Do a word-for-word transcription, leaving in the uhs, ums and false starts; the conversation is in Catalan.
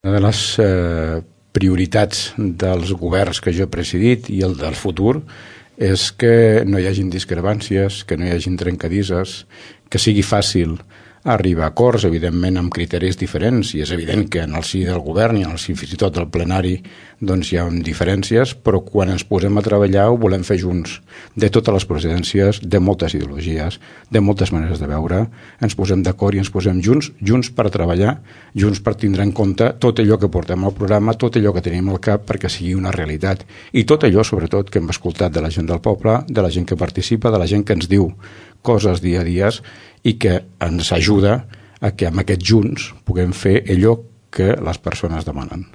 Una de les eh, prioritats dels governs que jo he presidit i el del futur és que no hi hagin discrepàncies, que no hi hagin trencadisses, que sigui fàcil arribar a acords, evidentment amb criteris diferents, i és evident que en el si del govern i en el si fins i tot del plenari doncs hi ha diferències, però quan ens posem a treballar ho volem fer junts, de totes les procedències, de moltes ideologies, de moltes maneres de veure, ens posem d'acord i ens posem junts, junts per treballar, junts per tindre en compte tot allò que portem al programa, tot allò que tenim al cap perquè sigui una realitat, i tot allò sobretot que hem escoltat de la gent del poble, de la gent que participa, de la gent que ens diu coses dia a dia i que ens ajuda a que amb aquests junts puguem fer allò que les persones demanen.